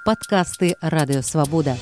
Подкасты «Радио Свобода».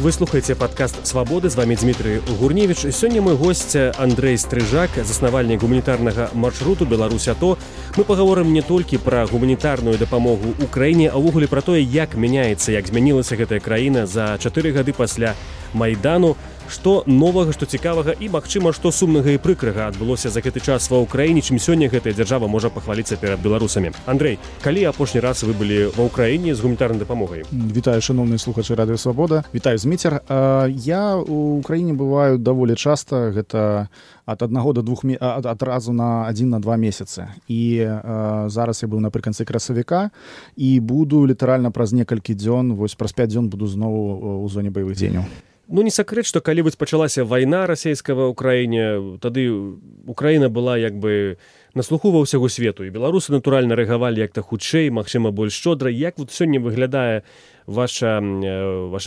Вы слухаеце падкаст «Свабоды», з вами Дмітрый Гурневіч. Сёння мой госць Андрэй Стрыжак, заснавальнік гуманітарнага маршруту «Беларусь-АТО». Мы пагаворым не толькі пра гуманітарную дапамогу ўкраіне, а ўвогуле пра тое, як мяняецца, як змянілася гэтая краіна за 4 гады пасля Майдану, што новага, што цікавага і, магчыма, што сумнага і прыкрага адбылося за гэты час ва ўкраіне, чым сёння гэтая дзяржава можа пахваліцца перад беларусамі. Андрэй, калі апошні раз вы былі ва ўкраіне з гуманітарнай дапамогай? Вітаю, шановныя слухачы Радыё Свабода. Вітаю, Зміцер. Я ў Украіне бываю даволі часта, гэта ад 1 до 2 адразу на 1-2 месяцы. І зараз я быў напрыканцы красавіка і буду літаральна праз некалькі дзён, вось праз 5 дзён буду зноў у зоне баявых дзеянняў. Ну, не сакрэт, што калі вось пачалася вайна расійская ва ўкраіне, тады Украіна была як бы на слуху ва ўсяго свету, і беларусы, натуральна, рэагавалі як-то хутчэй, магчыма, больш шчодра. Як вот сёння выглядае ваша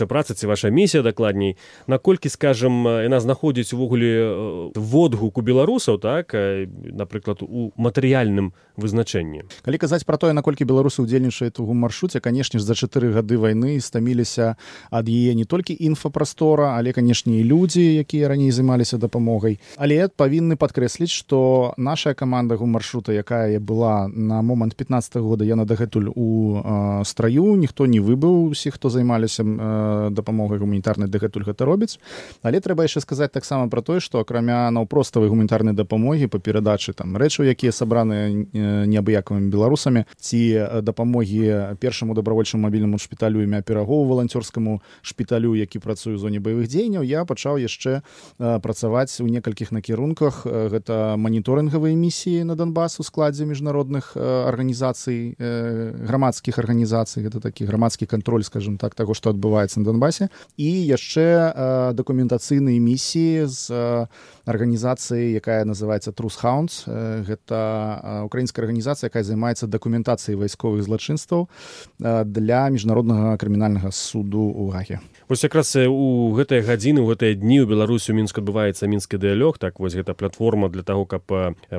праца ці ваша місія, дакладней, наколькі, скажам, яна знаходзіць увогуле водгук у беларусаў, так, напрыклад, у матэрыяльным вызначэнні? Калі казаць пра тое, наколькі беларусы ўдзельнічаюць у маршруце, канешне ж, за 4 гады вайны стаміліся ад яе не толькі інфапрастора, але, канешне, і людзі, якія раней займаліся дапамогай. Але павінны падкрэсліць, што наша каманда маршрута, якая была на момант 15-го года, яна дагэтуль у страю, ніхто не выбыў, усе, хто займаліся дапамогай гуманітарнай, дагэтуль гэта робіць. Але трэба яшчэ сказаць таксама пра тое, што акрамя наўпроставай гуманітарнай дапамогі па перадачы там рэчаў, якія сабраныя неабыякавымі беларусамі, ці дапамогі першаму добравольчаму мабільнаму шпіталю імя Пірагоў, валанцёрскаму шпіталю, які працуе ў зоне баявых дзеянняў, я пачаў яшчэ працаваць у некалькіх накірунках. Гэта маніторынгавыя місіі на Донбас у складзе міжнародных арганізацый, грамадскіх арганізацый, гэта такі грамадскі кантроль, скажем так, таго, што адбываецца на Донбасе, і яшчэ дакументацыйныя місіі з арганізацыяй, якая называецца Truth Hounds. Гэта украінская арганізацыя, якая займаецца дакументацыяй вайсковых злачынстваў для міжнароднага крымінальнага суду ў Гаге. Вось якраз у гэтыя гадзіны, у гэтыя дні ў Беларусі ў Мінску адбываецца мінскі дыялог, так, вось гэта платформа для таго, каб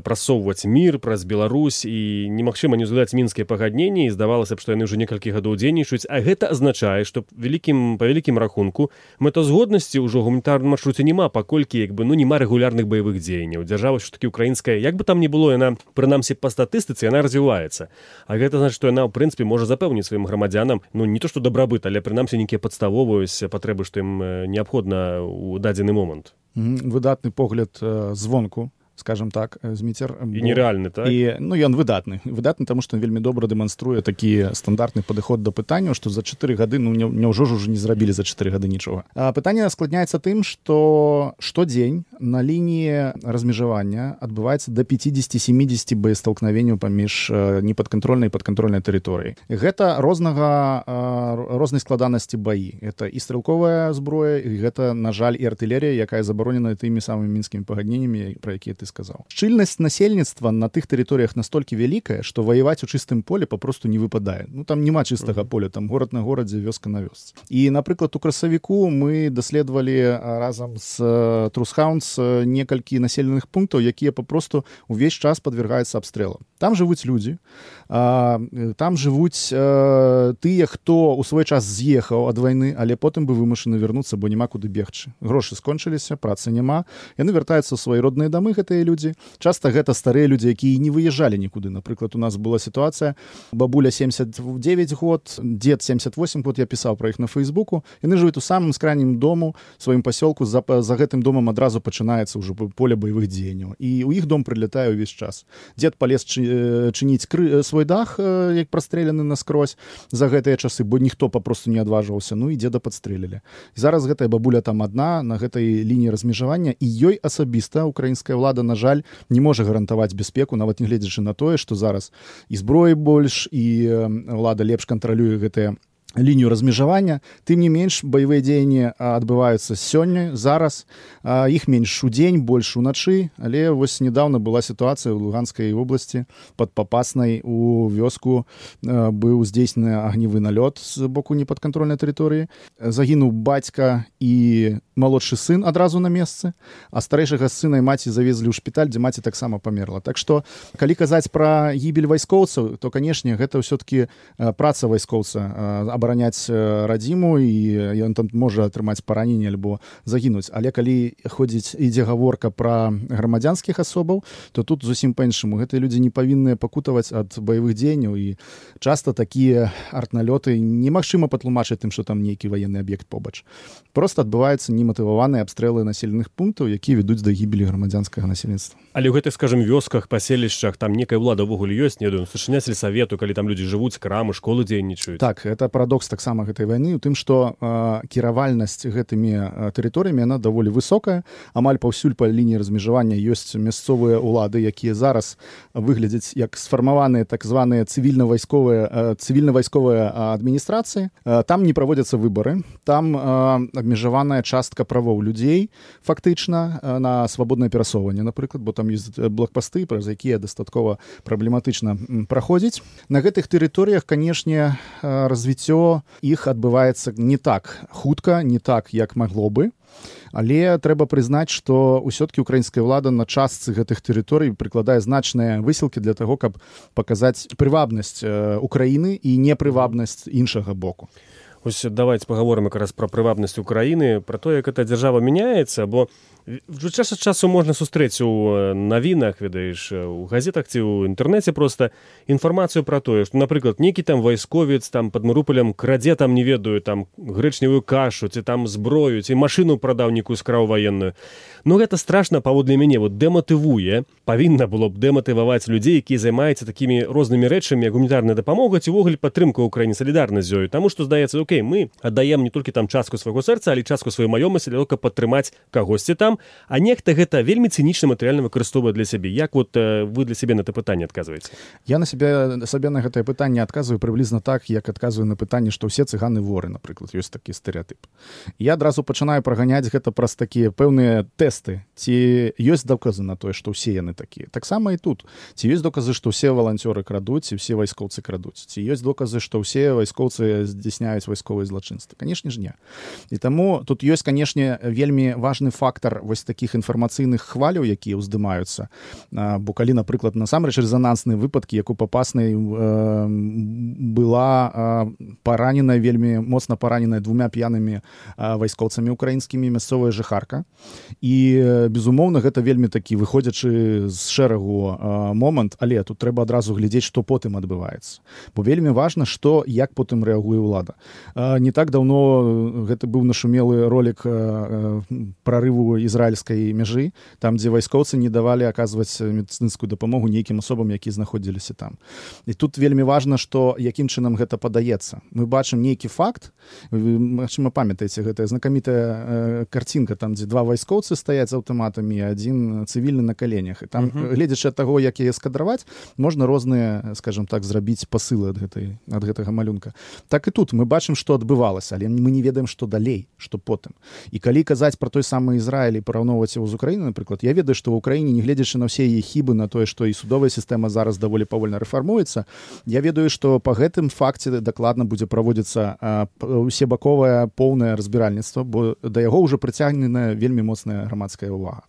прасоўваць мір праз Беларусь, і немагчыма не ўзгадаць мінскія пагадненні, і здавалася б, што яны ўжо некалькі гадоў дзейнічаюць, а гэта азначае, што па вялікім рахунку мэтазгоднасці ўжо гуманітарным маршруце няма, паколькі як бы няма рэгулярных баявых дзеянняў. Дзяржава ўсё-такі украінская, як бы там ні было, яна, прынамсі па статыстыцы, яна развіваецца. А гэта значыць, што яна ў прынцыпе можа запэўніць сваім грамадзянам, ну не то што дабрабыт, але прынамсі нейкія падставовыя патрэбы, што ім неабходна ў дадзены момант. Выдатны погляд звонку, скажем так, Зміцер. І нереальны, так? І, ну, ён выдатны. Выдатны, таму што ён вельмі добра дэманструе такі стандартны падыход да пытанняў, што за 4 гады, ну, няўжо ж ужо не зрабілі за 4 гады нічога. А пытанне складняецца тым, што штодзень на лініі размежавання адбываецца да 50-70 боесталкновенняў паміж непадкантрольнай і падкантрольнай тэрыторыяй. Гэта рознай складанасці баі. Гэта і стрэлковая зброя, і гэта, на жаль, і артылерія, якая забаронена тымі самымі мінскімі пагадненнямі, пра якія ты сказаў. Шчыльнасць насельніцтва на тых тэрыторыях настолькі вялікая, што ваяваць у чыстым поле папросту не выпадае. Ну, там няма чыстага поля, там горад на горадзе, вёска на вёсцы. І, напрыклад, у красавіку мы даследавалі разам з Truth Hounds некалькі населеных пунктаў, якія папросту увесь час падвяргаюцца абстрэлам. Там жывуць людзі, там жывуць тыя, хто ў свой час з'ехаў ад вайны, але потым бы вымушаны вярнуцца, бо няма куды бегчы. Грошы скончыліся, працы няма. Яны вяртаюцца ў свае родныя дамы, гэтыя людзі. Часта гэта старыя людзі, якія не выязджалі нікуды. Напрыклад, у нас была сітуацыя, бабуля 79 год, дзед 78 год, я пісаў пра іх на Фейсбуку. Яны жывуць у самым скрайнім дому, сваім пасёлку, за гэтым домам адразу пачынаецца ўжо поле баявых дзеянняў. І ў іх дом прылятае ўвесь час. Дзед палез чыніць свой дах, як прастрэляны наскрозь за гэтыя часы, бо ніхто папросту не адважваўся, ну і дзеда падстрэлілі. І зараз гэтая бабуля там адна на гэтай лініі размежавання, і ёй асабіста украінская ўлада, на жаль, не можа гарантаваць бяспеку, нават нягледзячы на тое, што зараз і зброі больш, і ўлада лепш кантралюе гэтыя лінію размежавання. Тым не менш, баявыя дзеянні адбываюцца сёння, зараз. Іх менш у дзень, больш уначы. Але вось недавно была сітуацыя ў Луганскай вобласці. Пад Папаснай у вёску быў здзейснены агневы налёт з боку непадкантрольнай тэрыторыі. Загінуў бацька і малодшы сын адразу на месцы, а старэйшага сына і маці завезлі ў шпіталь, дзе маці таксама памерла. Так што, калі казаць пра гібель вайскоўцаў, то, канешне, гэта ўсё-такі праца вайскоўца абараняць радзіму, і ён там можа атрымаць параненне альбо загінуць. Але калі ідзе гаворка пра грамадзянскіх асобаў, то тут зусім па-іншаму. Гэтыя людзі не павінны пакутаваць ад баявых дзеянняў, і часта такія артналёты немагчыма патлумачыць тым, што там нейкі ваенны аб'ект побач. Проста адбываюцца нематываваныя абстрэлы населеных пунктаў, якія ведуць да гібелі грамадзянскага насельніцтва. Але ў гэтых, скажем, вёсках, паселішчах там некая ўлада ўвогуле ёсць, не ведаю, старшыня сельсавету, калі там людзі жывуць, крамы, школы дзейнічаюць. Так, гэта парадокс таксама гэтай вайны ў тым, што кіравальнасць гэтымі тэрыторыямі яна даволі высокая. Амаль паўсюль па лініі размежавання ёсць мясцовыя ўлады, якія зараз выглядзяць як сфармаваныя так званыя цывільна-вайсковыя адміністрацыі. Там не праводзяцца выбары, там абмежаваная частка правоў людзей фактычна на свабоднае перасоўванне, напрыклад, бо там ёсць блокпасты, праз якія дастаткова праблематычна праходзіць. На гэтых тэрыторыях, канешне, развіццё іх адбываецца не так хутка, не так, як магло бы. Але трэба прызнаць, што ўсё-ткі украінская ўлада на частцы гэтых тэрыторый прыкладае значныя высілкі для таго, каб паказаць прывабнасць Украіны і непрывабнасць іншага боку. Ось давайте паговорым якраз пра прывабнасць Украіны, пра то, як эта дзяржава мяняецца, бо час ад часу можна сустрэць у навінах, ведаеш, у газетах ці ў інтэрнэце проста інфармацыю пра тое, што, напрыклад, нейкі там вайсковец там пад Марыуполем крадзе там, не ведаю, там грэчневую кашу, ці там зброю, ці машыну прадаў нейкую скраў ваенную. Ну, гэта страшна, паводле мяне, вот дэматывуе, павінна было б дэматываваць людзей, якія займаюцца такімі рознымі рэчамі, як гуманітарная дапамога ці ўвогуле падтрымка ўкраіне, салідарнасць з ёю. Таму што, здаецца, окей, мы аддаем не толькі там частку свайго сэрца, але частку сваёй маёмасці для того, каб падтрымаць кагосьці там, а нехта гэта вельмі цынічна матэрыяльна выкарыстоўвае для сябе. Як вот вы для сябе на гэта пытанне адказваеце? Я на сабе на гэтае пытанне адказваю прыблізна так, як адказваю на пытанне, што ўсе цыганы воры, напрыклад, ёсць такі стэрэатып. Я адразу пачынаю праганяць гэта праз такія пэўныя тэсты. Ці ёсць доказы на тое, што ўсе яны такія. Таксама і тут. Ці ёсць доказы, што ўсе валанцёры крадуць, ці ўсе вайскоўцы крадуць. Ці ёсць доказы, што ўсе вайскоўцы здзяйсняюць вайсковыя злачынствы. Канешне ж не. І таму тут ёсць, канешне, вельмі важны фактар вось такіх інфармацыйных хваляў, якія ўздымаюцца. Бо калі, напрыклад, насамрэч рэзанансныя выпадкі, як у Папаснай была параненая, вельмі моцна параненая 2 п'янымі вайскоўцамі украінскімі мясцовая жыхарка. І, безумоўна, гэта вельмі такі выходзячы з шэрагу момант, але тут трэба адразу глядзець, што потым адбываецца. Бо вельмі важна, што, як потым рэагуе ўлада. Не так даўно гэта быў нашумелы ролік прарыву ізраільскай мяжы, там, дзе вайскоўцы не давалі аказваць медыцынскую дапамогу нейкім асобам, якія знаходзіліся там. І тут вельмі важна, што якім чынам гэта падаецца. Мы бачым нейкі факт, магчыма, памятаеце, гэтая знакамітая карцінка, там, дзе 2 вайскоўцы стаяць з аўтаматамі, адзін цывільны на каленях. І там, гледзячы ад таго, як яе скадраваць, можна розныя, скажем так, зрабіць пасылы ад гэтага малюнка. Так і тут мы бачым, што адбывалася, але мы не ведаем, што далей, што потым. І калі казаць пра той самы Ізраіль і параўноўваць яго з Украінай, напрыклад, я ведаю, што ў Украіне, не гледзячы на ўсе яе хібы, на тое, што і судовая сістэма зараз даволі павольна рэфармуецца, я ведаю, што па гэтым факце дакладна будзе праводзіцца усебаковае поўнае разбіральніцтва, бо да яго ўжо прыцягнена вельмі моцная грамадская ўвага.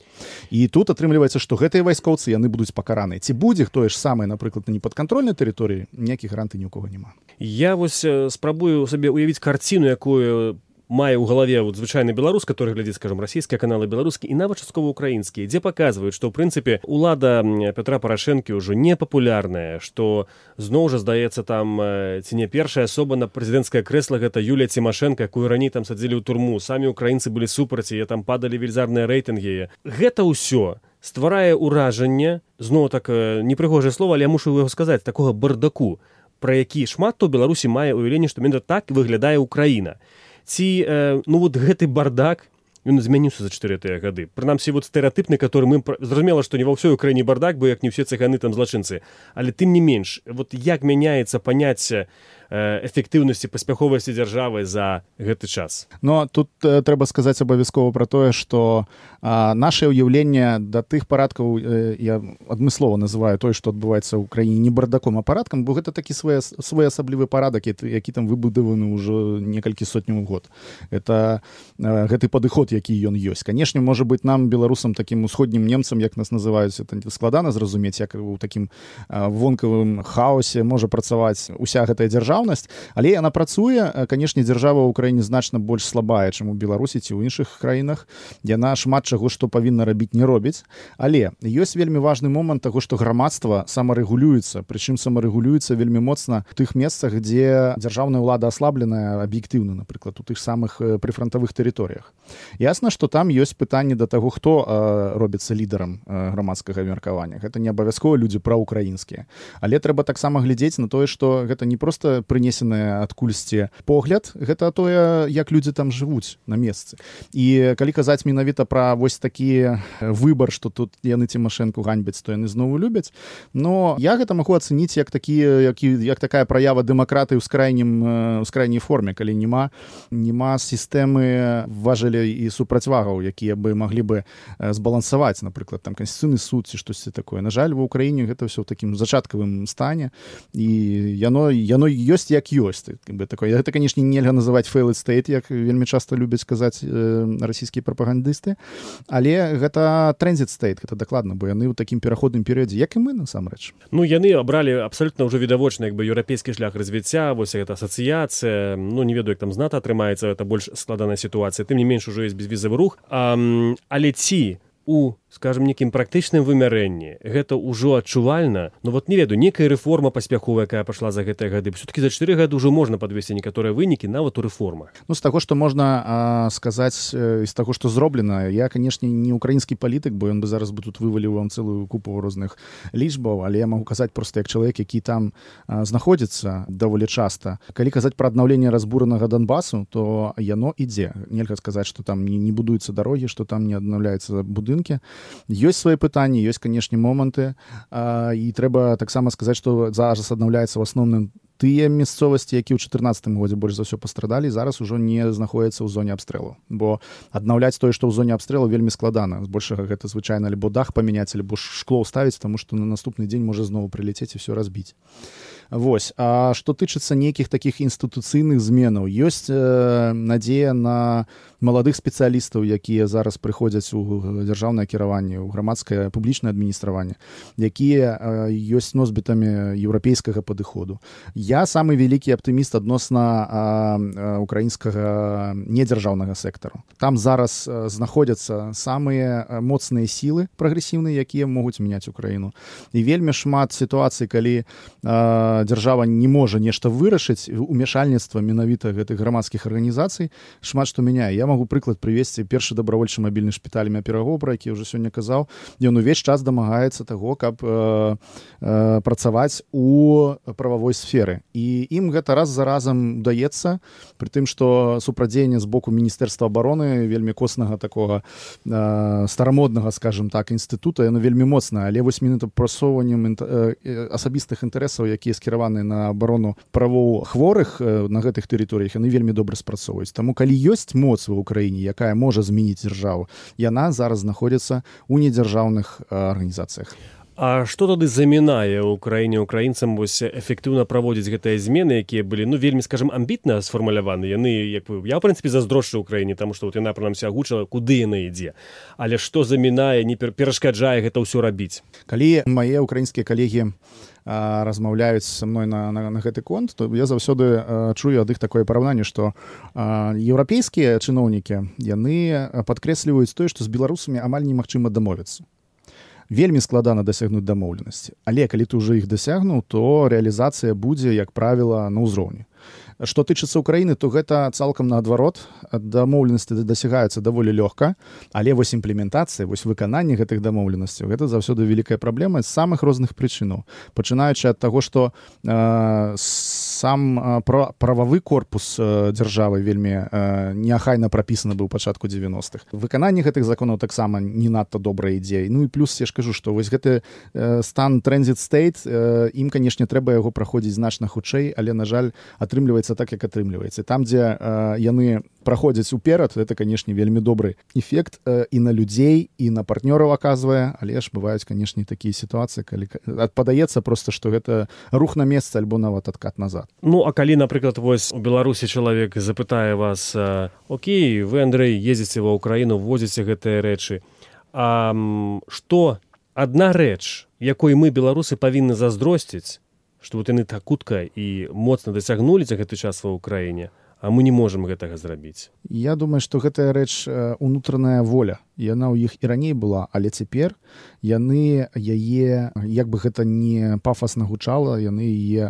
І тут атрымліваецца, што гэтыя вайскоўцы, яны будуць пакараныя. Ці будзе тое ж самае, напрыклад, на непадкантрольнай тэрыторыі, ніякіх гарантый ні ў кого няма. Я вось спрабую сабе уявіць карціну, якую мае ў галаве вот звычайны беларус, который глядзіць, скажем, расійскія каналы, беларускія і нават часткова украінскія, дзе паказваюць, што ў прынцыпе улада Петра Парашэнкі ўжо непапулярная, што зноў жа здаецца там ці не першая асоба на прэзідэнцкае крэсла гэта Юлія Цімашэнка, якую раней там садзілі ў турму, самі украінцы былі супраць яе, там падалі велізарныя рэйтынгі. Гэта ўсё стварае ўражанне, зноў так непрыгожае слова, але я мушу яго сказаць, такога бардаку, пра які шмат хто ў Беларусі мае ўяўленне, што менавіта так выглядае Украіна. Ці, ну, вот гэты бардак, ён змяніўся за 4 гады. Прынамсі, вот стэрэатыпны, который мы... Зразумела, што не ва ўсёй Украіне бардак, бо як не ўсе цыганы там злачынцы. Але тым не менш, вот як мяняецца паняцце эфектыўнасці, паспяховасці дзяржавы за гэты час. Но тут трэба сказаць абавязкова пра тое, што наше ўяўленне да тых парадкаў, я адмыслова называю тое, што адбываецца ў краіне не бардаком, а парадкам, бо гэта такі своеасаблівы парадак, які там выбудаваны ўжо некалькі сотняў год. Это гэты падыход, які ён ёсць. Канешне, можа быць, нам, беларусам, такім усходнім немцам, як нас называюць, это складана зразумець, як у такім вонкавым хаосе можа працаваць уся гэтая дзяржаўнасць, але яна працуе. Канешне, дзяржава ў краіне значна больш слабая, чым у Беларусі ці ў іншых краінах. Яна шмат чаго, што павінна рабіць, не робіць. Але ёсць вельмі важны момант таго, што грамадства самарэгулюецца, прычым самарэгулюецца вельмі моцна у тых месцах, дзе дзяржаўная ўлада аслабленая аб'ектыўна, напрыклад, у тых самых прыфрантавых тэрыторыях. Ясна, што там ёсць пытанне да таго, хто робіцца лідарам грамадскага меркавання. Гэта не абавязкова людзі праўкраінскія. Але трэба таксама глядзець на тое, што гэта не проста прынесены адкульсьці погляд, гэта тое, як людзі там жывуць на месцы. І калі казаць менавіта пра вось такі выбар, што тут яны Цімашэнку ганьбяць, то яны зноў любяць, но я гэта магу ацэніць як такая праява дэмакратыі ў скрайняй форме, калі няма сістэмы важелей і супрацьвагаў, якія бы маглі бы збалансаваць, напрыклад, там Канстытуцыйны суд ці штосьці такое. На жаль, ва ўкраіне гэта ўсё ў такім зачаткавым стане, і яно ёсць як ёсць. Гэта, канешне, нельга называць failed state, як вельмі часта любяць казаць расійскія прапагандысты, але гэта transit state, гэта дакладна, бо яны ў такім пераходным перыядзе, як і мы, насамрэч. Ну, яны абралі абсалютна ўжо відавочна еўрапейскі шлях развіцця, вось гэта асацыяцыя, ну, не ведаю, як там з НАТО атрымаецца, это больш складаная сітуацыя, тым не менш ужо ёсць безвізавы рух, але ці у, скажем, некім практычным вымярэнні гэта ўжо адчувальна, ну вот не ведаю, некая рэформа паспяховая, якая пайшла за гэтыя гады, все-таки за 4 гады ўжо можна падвесці некаторыя вынікі нават у рэформах. Ну, з таго, што можна сказаць, з таго, што зроблена, я, канешне, не украінскі палітык, бо ён бы зараз бы тут вываліў вам цэлую купу розных лічбаў, але я магу казаць проста як чалавек, які там знаходзіцца даволі часта. Калі казаць пра аднаўленне разбуранага Донбасу, то яно ідзе. Нельга сказаць, што там не будуюцца дарогі, што там не аднаўляецца будынкі. Ёсць свае пытанні, ёсць, канешне, моманты, і трэба таксама сказаць, што зараз аднаўляецца ў асноўным тыя мясцовасці, якія ў 2014 годзе больш за ўсё пастрадалі, зараз ужо не знаходзяцца ў зоне абстрэлу. Бо аднаўляць тое, што ў зоне абстрэлу, вельмі складана. Збольшага гэта звычайна альбо дах памяняць, альбо шкло ўставіць, таму што на наступны дзень можа зноў прылецець і ўсё разбіць. Вось. А што тычыцца нейкіх такіх інстытуцыйных зменаў, ёсць надзея на маладых спецыялістаў, якія зараз прыходзяць у дзяржаўнае кіраванне, у грамадскае публічнае адміністраванне, якія ёсць носьбітамі еўрапейскага падыходу. Я самы вялікі аптыміст адносна украінскага недзяржаўнага сектару. Там зараз знаходзяцца самыя моцныя сілы прагрэсіўныя, якія могуць мяняць Украіну. І вельмі шмат сітуацый, калі дзяржава не можа нешта вырашыць, умяшальніцтва менавіта гэтых грамадскіх арганізацый шмат што мяняе. Я магу прыклад прывесці. Першы добравольчы мабільны шпіталь імя Пірагоў, пра які ўжо сёння казаў, ён увесь час дамагаецца таго, каб працаваць у прававой сферы. І ім гэта раз за разам удаецца, пры тым, што супрадзеянне з боку Міністэрства абароны вельмі коснага такога старамоднага, скажем так, інстытута, яно вельмі моцна, але вось менавіта прасоўваннем асабістых інтарэсаў, якія скіраваны на абарону правоў хворых на гэтых тэрыторыях, яны вельмі добра спрацоўваюць. Таму калі ёсць моц ва ўкраіне, якая можа змяніць дзяржаву, яна зараз знаходзіцца ў недзяржаўных арганізацыях. А што тады замінае ў краіне украінцам вось эфектыўна праводзіць гэтыя змены, якія былі, ну, вельмі, скажем, амбітна сфармуляваны? Яны, як я, ў прынцыпе, заздрошчу ўкраіне, таму што вот яна, прынамсі, агучыла, куды яна ідзе. Але што замінае, не перашкаджае гэта ўсё рабіць? Калі мае украінскія калегі размаўляюць са мной на гэты конт, то я заўсёды чую ад іх такое параўнанне, што еўрапейскія чыноўнікі, яны падкрэсліваюць тое, што з беларусамі амаль немагчыма дамовіцца. Вельмі складана дасягнуць дамоўленасці. Але калі ты ўжо іх дасягнуў, то рэалізацыя будзе, як правіла, на ўзроўні. Што тычыцца Украіны, то гэта цалкам наадварот. Дамоўленасці дасягаюцца даволі лёгка, але вось імплементацыя, вось выкананне гэтых дамоўленасцяў, гэта заўсёды вялікая праблема з самых розных прычынаў. Пачынаючы ад таго, што сам прававы корпус дзяржавы вельмі неахайна прапісаны быў пачатку 90-х. Выкананне гэтых законаў таксама не надта добрая ідзея. Ну і плюс я ж кажу, што вось гэты стан транзит стейт, ім, канешне, трэба яго праходзіць значна хутчэй, але, на жаль, атрымліваецца так, як атрымліваецца. Там, дзе яны праходзяць уперад, это, канешне, вельмі добры эфект і на людзей, і на партнёраў аказвае, але ж бываюць, канешне, такія сітуацыі, калі падаецца проста, што гэта рух на месца альбо нават адкат назад. Ну, а калі, напрыклад, вось у Беларусі чалавек запытае вас: окей, вы, Андрэй, ездзіце ва ўкраіну, возіце гэтыя рэчы, а што адна рэч, якой мы, беларусы, павінны заздросціць, што вот яны так хутка і моцна дасягнулі за гэты час ва ўкраіне, а мы не можам гэтага зрабіць? Я думаю, што гэтая рэч унутраная воля. Яна ў іх і раней была, але цяпер яны яе, як бы гэта не пафасна гучала, яны яе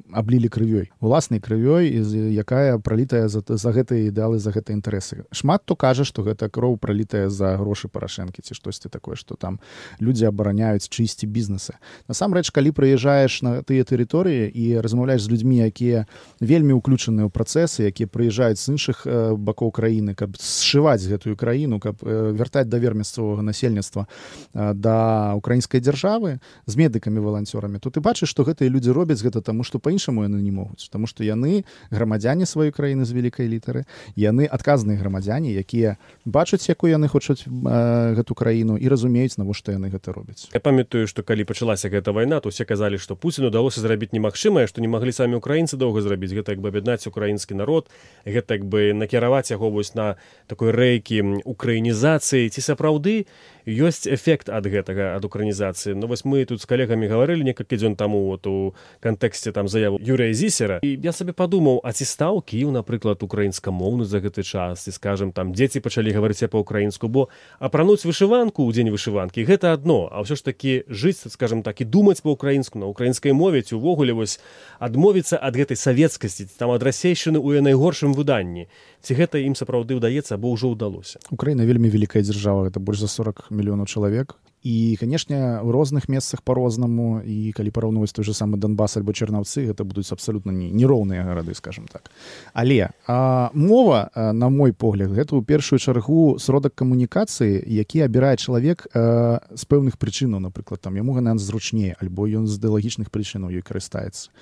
аблілі крывёй, уласнай крывёй, якая пралітая за гэтыя ідэалы, за гэтыя інтарэсы. Шмат хто кажа, што гэта кроў пралітая за грошы Парашэнкі ці штосьці такое, што там людзі абараняюць чыйсьці бізнесы. Насамрэч, калі прыязджаеш на тыя тэрыторыі і размаўляеш з людзьмі, якія вельмі ўключаныя ў працэсы, якія прыязджаюць з іншых бакоў краіны, каб сшываць гэтую краіну, каб вяртаць давер мясцовага насельніцтва да украінскай дзяржавы з медыкамі-валанцёрамі, то ты бачыш, што гэтыя людзі робяць гэта таму, што па-іншаму яны не могуць, таму што яны грамадзяне сваёй краіны з вялікай літары, яны адказныя грамадзяне, якія бачаць, якую яны хочуць гэту краіну і разумеюць, навошта яны гэта робяць. Я памятаю, што калі пачалася гэта вайна, то ўсе казалі, што Пуціну удалося зрабіць немагчымае, што не маглі самі украінцы доўга зрабіць. Гэта як бы аб'яднаць украінскі народ, гэта як бы накіраваць яго вось на такой рэйкі украінізацыі. Ці сапраўды ёсць эфект ад гэтага, ад украінізацыі? Ну вось мы тут з калегамі гаварылі некалькі дзён таму вот у кантэксце там заяву Юрыя Зісера, і я сабе падумаў, а ці стаў Кіеў, напрыклад, украінскамоўны за гэты час, ці, скажем, там дзеці пачалі гаварыць па-украінску, бо апрануць вышыванку ў дзень вышыванкі гэта адно, а ўсё ж такі жыць, скажем так, і думаць па-украінску на украінскай мове, ці увогуле вось адмовіцца ад гэтай савецкасці, там ад расейшчыны ў найгоршым выданні. Ці гэта ім сапраўды ўдаецца, або ўжо ўдалося? Украіна вельмі вялікая дзяржава, гэта больш за 40 мільёнаў чалавек. І, канешне, у розных месцах па-рознаму, і калі параўноўваць той же самы Донбас альбо Чарнаўцы, гэта будуць абсалютна нероўныя гарады, скажем так. Але мова, на мой погляд, гэта ў першую чаргу сродак камунікацыі, які абірае чалавек з пэўных прычынаў, напрыклад, там яму яна зручнее, альбо ён з ідэалагічных прычынаў ёй карыстаецца.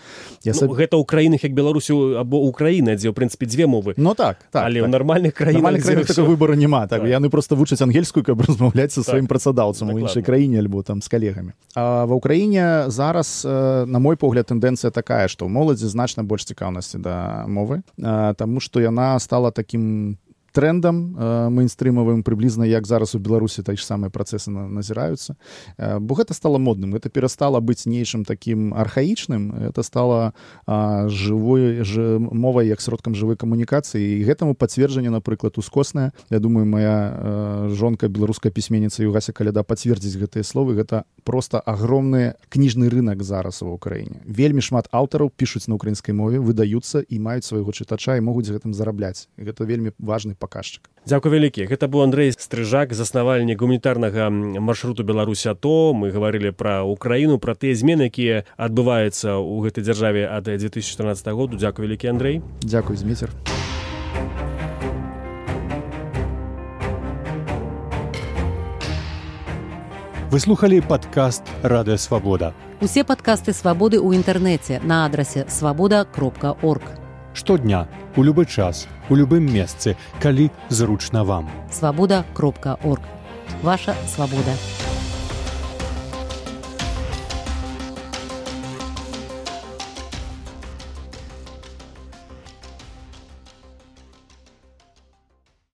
Гэта ў краінах як Беларусі або Украіна, дзе, ў прынцыпе, дзве мовы. Ну так. Але ў нармальных краінах такога выбару няма. Яны проста вучаць ангельскую, каб размаўляць са сваім працадаўцам у іншай краіне альбо там з калегамі. А ва ўкраіне зараз, на мой погляд, тэндэнцыя такая, што ў моладзі значна больш цікаўнасці да мовы, таму што яна стала такім трендам мейнстрымавым, прыблізна як зараз у Беларусі такі ж самыя працэсы назіраюцца. Бо гэта стала модным, гэта перастала быць нейчым такім архаічным, это стала жывой мовай як сродкам жывой камунікацыі, і гэтаму пацверджанне, напрыклад, ускоснае. Я думаю, моя жонка, беларуская пісьменніца Югася Каляда, пацвердзіць гэтыя словы. Гэта проста агромны кніжны рынак зараз ва ўкраіне. Вельмі шмат аўтараў пішуць на украінскай мове, выдаюцца і маюць свайго чытача і могуць гэтым зарабляць. І гэта вельмі важны паказчык. Дзякуй вялікі. Гэта быў Андрэй Стрыжак, заснавальнік гуманітарнага маршруту Беларусь АТО. Мы гаварылі пра Украіну, пра тыя змены, якія адбываюцца ў гэтай дзяржаве ад 2014 году. Дзякуй вялікі, Андрэй. Дзякуй, Зміцер. Вы слухалі падкаст «Радыё Свабода». Усе падкасты «Свабоды» ў інтэрнэце на адрасе свабода.орг. Штодня, у любы час, у любым месцы, калі зручна вам. Свабода.орг. Ваша свабода.